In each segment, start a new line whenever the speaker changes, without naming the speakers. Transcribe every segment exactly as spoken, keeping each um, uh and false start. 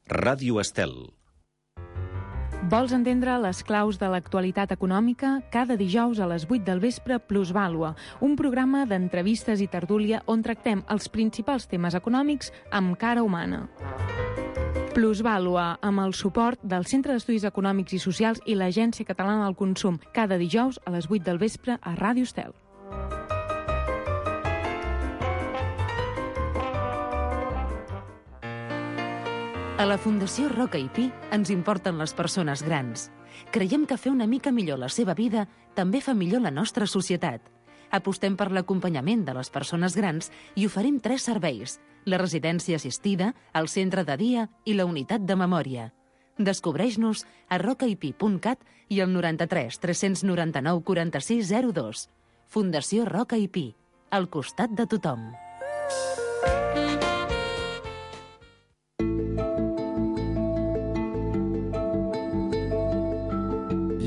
Ràdio Estel.
Vols entendre les claus de l'actualitat econòmica? Cada dijous a les vuit del vespre, Plusvàlua, un programa d'entrevistes i tertúlia on tractem els principals temes econòmics amb cara humana. Plusvàlua, amb el suport del Centre d'Estudis Econòmics i Socials i l'Agència Catalana del Consum, cada dijous a les vuit del vespre a Ràdio Estel.
A la Fundació Roca i Pi ens importen les persones grans. Creiem que fer una mica millor la seva vida també fa millor la nostra societat. Apostem per l'acompanyament de les persones grans i oferim tres serveis: la residència assistida, el centre de dia i la unitat de memòria. Descobreix-nos a rocaipi punt cat i al noranta-tres tres noranta-nou quaranta-sis zero dos. Fundació Roca i Pi, al costat de tothom.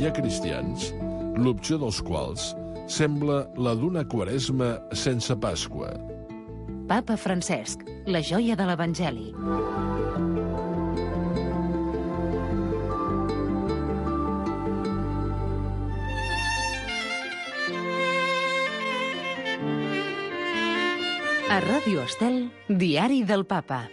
Hi ha cristians, l'opció dels quals sembla la d'una quaresma sense Pasqua.
Papa Francesc, la joia de l'Evangeli. A Ràdio Estel, Diari del Papa.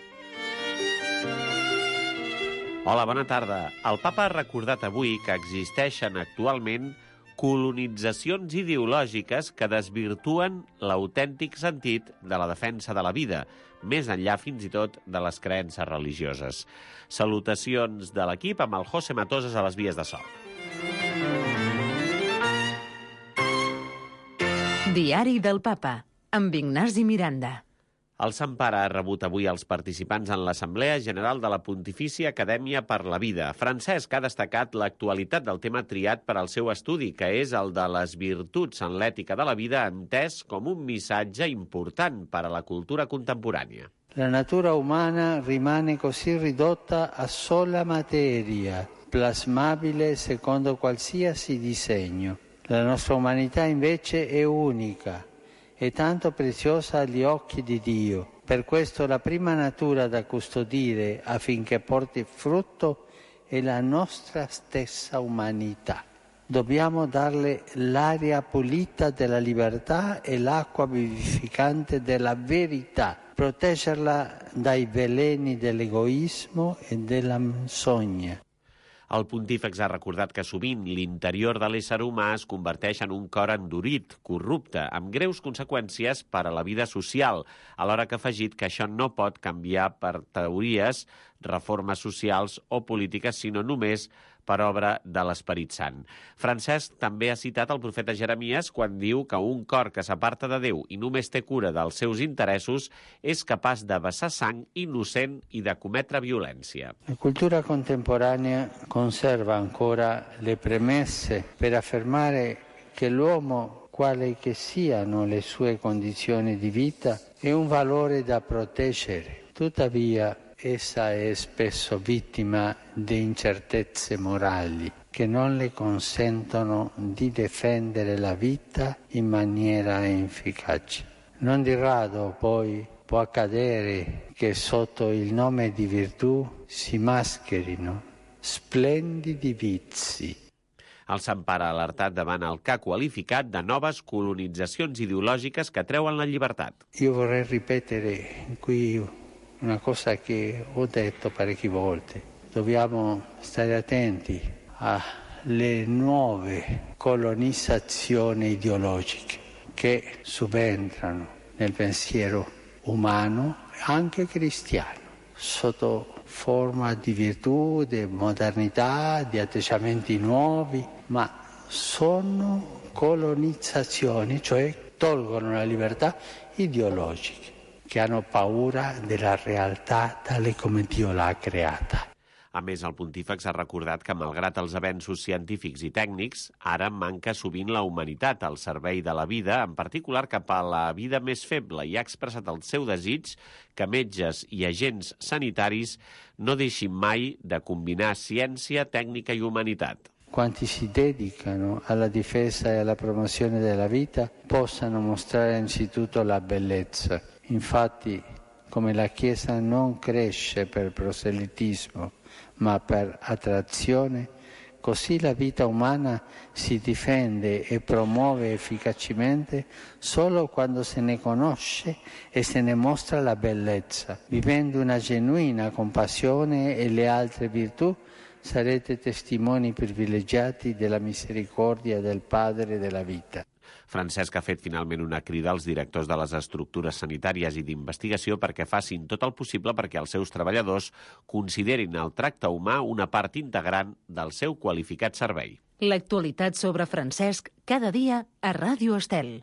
Hola, bona tarda. El papa ha recordat avui que existeixen actualment colonitzacions ideològiques que desvirtuen l'autèntic sentit de la defensa de la vida, més enllà fins i tot de les creences religioses. Salutacions de l'equip amb el José Matoses a les vies de so.
Diari del Papa, amb Ignasi Miranda.
El Sant Pare ha rebut avui els participants en l'Assemblea General de la Pontifícia Acadèmia per la Vida. Francesc ha destacat l'actualitat del tema triat per al seu estudi, que és el de les virtuts en l'ètica de la vida, entès com un missatge important per a la cultura contemporània.
La natura umana rimane così ridotta a sola materia, plasmabile secondo qualsiasi disegno. La nostra umanità invece è unica e tanto preziosa agli occhi di Dio. Per questo la prima natura da custodire affinché porti frutto è la nostra stessa umanità. Dobbiamo darle l'aria pulita della libertà e l'acqua vivificante della verità, proteggerla dai veleni dell'egoismo e della menzogna.
El pontífex ha recordat que sovint l'interior de l'ésser humà es converteix en un cor endurit, corrupte, amb greus conseqüències per a la vida social, alhora que ha afegit que això no pot canviar per teories, reformes socials o polítiques, sinó només per obra de l'Esperit Sant. Francesc també ha citat el profeta Jeremies quan diu que un cor que s'aparta de Déu i només té cura dels seus interessos és capaç de vessar sang innocent i de cometre violència.
La cultura contemporanea conserva ancora le premesse per affermare che l'uomo, quale che siano le sue condizioni di vita, è un valore da proteggere. Tuttavia, essa è spesso vittima di incertezze morali che non le consentono di difendere la vita in maniera efficace. Non di rado poi può accadere che sotto il nome di virtù si mascherino splendidi vizi.
El Sant Pare ha alertat davant el que ha qualificat de noves colonitzacions ideològiques que treuen la llibertat.
Io vorrei ripetere qui una cosa che ho detto parecchie volte. Dobbiamo stare attenti alle nuove colonizzazioni ideologiche che subentrano nel pensiero umano, anche cristiano, sotto forma di virtù, di modernità, di atteggiamenti nuovi, ma sono colonizzazioni, cioè tolgono la libertà ideologiche, che hanno paura della realtà tale come Dio l'ha creata.
A més, el pontífex ha recordat que, malgrat els avenços científics i tècnics, ara manca sovint la humanitat al servei de la vida, en particular cap a la vida més feble, i ha expressat el seu desig que metges i agents sanitaris no deixin mai de combinar ciència, tècnica i humanitat.
Quanti si dedicano alla difesa e alla promozione della vita possano mostrare anzitutto la bellezza. Infatti come la Chiesa non cresce per proselitismo, ma per attrazione, così la vita umana si difende e promuove efficacemente solo quando se ne conosce e se ne mostra la bellezza. Vivendo una genuina compassione e le altre virtù, sarete testimoni privilegiati della misericordia del Padre della vita.
Francesc ha fet finalment una crida als directors de les estructures sanitàries i d'investigació perquè facin tot el possible perquè els seus treballadors considerin el tracte humà una part integrant del seu qualificat servei.
L'actualitat sobre Francesc cada dia a Ràdio Estel.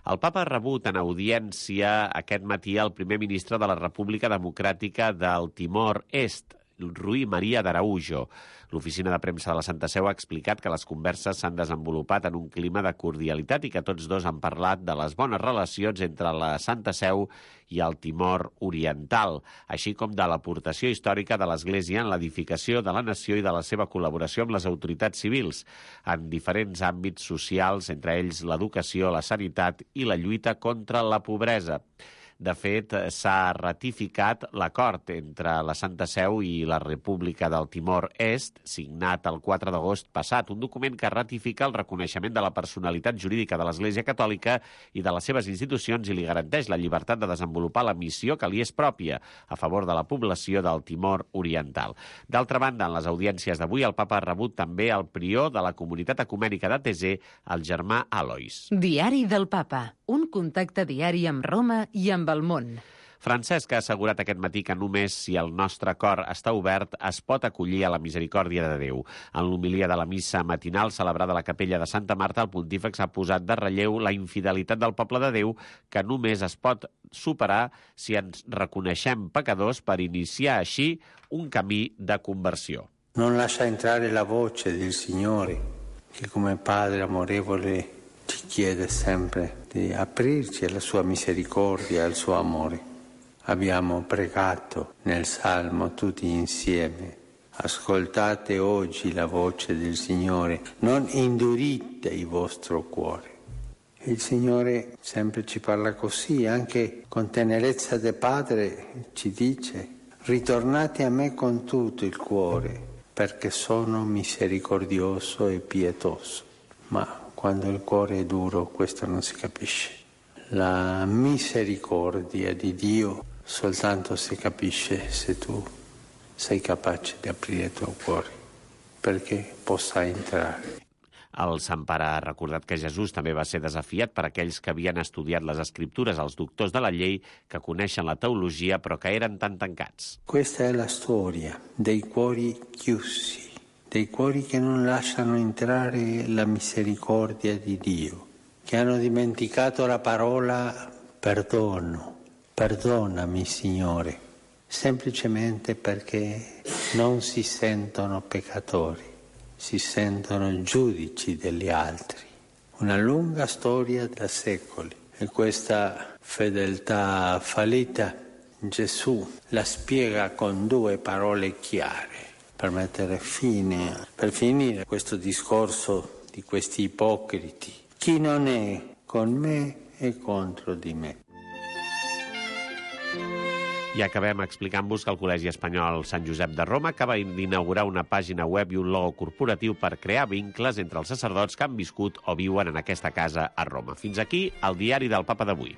El papa ha rebut en audiència aquest matí el primer ministre de la República Democràtica del Timor Est, Rui Maria d'Araujo. L'oficina de premsa de la Santa Seu ha explicat que les converses s'han desenvolupat en un clima de cordialitat i que tots dos han parlat de les bones relacions entre la Santa Seu i el Timor Oriental, així com de l'aportació històrica de l'Església en l'edificació de la nació i de la seva col·laboració amb les autoritats civils en diferents àmbits socials, entre ells l'educació, la sanitat i la lluita contra la pobresa. De fet, s'ha ratificat l'acord entre la Santa Seu i la República del Timor Est, signat el quatre d'agost passat, un document que ratifica el reconeixement de la personalitat jurídica de l'Església Catòlica i de les seves institucions i li garanteix la llibertat de desenvolupar la missió que li és pròpia a favor de la població del Timor Oriental. D'altra banda, en les audiències d'avui, el papa ha rebut també el prior de la comunitat ecumènica de Thésée, el germà Alois.
Diari del papa, un contacte diari amb Roma i amb el món.
Francesc ha assegurat aquest matí que només si el nostre cor està obert es pot acollir a la misericòrdia de Déu. En l'homilia de la missa matinal celebrada a la capella de Santa Marta, el pontífex ha posat de relleu la infidelitat del poble de Déu que només es pot superar si ens reconeixem pecadors per iniciar així un camí de conversió.
Non lascia entrare la voce del Signore, che come Padre amorevole ci chiede sempre di aprirci alla sua misericordia e al suo amore. Abbiamo pregato nel Salmo tutti insieme. Ascoltate oggi la voce del Signore, non indurite il vostro cuore. Il Signore sempre ci parla così, anche con tenerezza del Padre ci dice: ritornate a me con tutto il cuore, perché sono misericordioso e pietoso. Ma quando il cuore è duro, questo non si capisce. La misericordia di Dio soltanto si capisce se tu sei capace di aprire il tuo cuore, perché possa entrare.
El Sant Pare ha recordat que Jesús també va ser desafiat per aquells que havien estudiat les Escriptures, els doctors de la llei, que coneixen la teologia però que eren tan tancats.
Questa è la storia dei cuori chiusi, dei cuori che non lasciano entrare la misericordia di Dio, che hanno dimenticato la parola perdono, perdonami Signore, semplicemente perché non si sentono peccatori, si sentono giudici degli altri. Una lunga storia da secoli e questa fedeltà fallita Gesù la spiega con due parole chiare per mettere fine, per finire questo discorso di questi ipocriti. Chi non è con me è contro di me.
I acabem explicant-vos que el Col·legi Espanyol Sant Josep de Roma acaba d'inaugurar una pàgina web i un logo corporatiu per crear vincles entre els sacerdots que han viscut o viuen en aquesta casa a Roma. Fins aquí el diari del Papa d'avui.